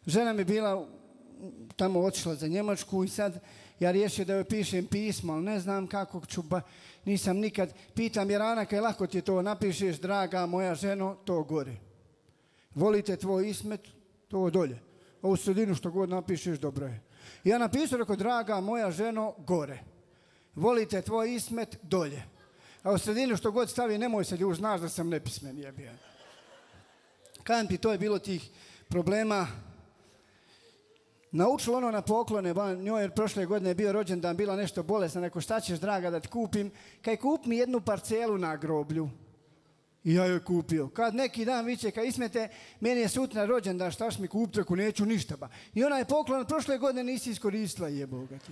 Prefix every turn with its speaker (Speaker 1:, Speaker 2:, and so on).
Speaker 1: Žena mi bila tamo otišla za Njemačku i sad ja riješio da joj pišem pismo, ali ne znam kako ću, nisam nikad. Pitam Jerana, kaj lako ti to napišeš, draga moja ženo, to gore. Volite tvoj Ismet, to dolje. A u sredinu što god napišeš, dobro je. Ja napisao, rekao, draga moja ženo, gore. Volite tvoj Ismet, dolje. A u sredinu što god stavi, nemoj se ljuž, znaš da sam nepismen, jebija. Kažem ti, to je bilo tih problema. Naučilo ono na poklone, njoj je prošle godine bio rođendan, bila nešto bolesna, neko šta ćeš draga da ti kupim, kaj kup mi jednu parcelu na groblju. I ja joj kupio. Kad neki dan viće, kaj Ismete, meni je sutra rođendan, šta ćeš mi kupiti, ako neću ništa ba. I ona je poklon, prošle godine nisi iskoristila, jeboga ti.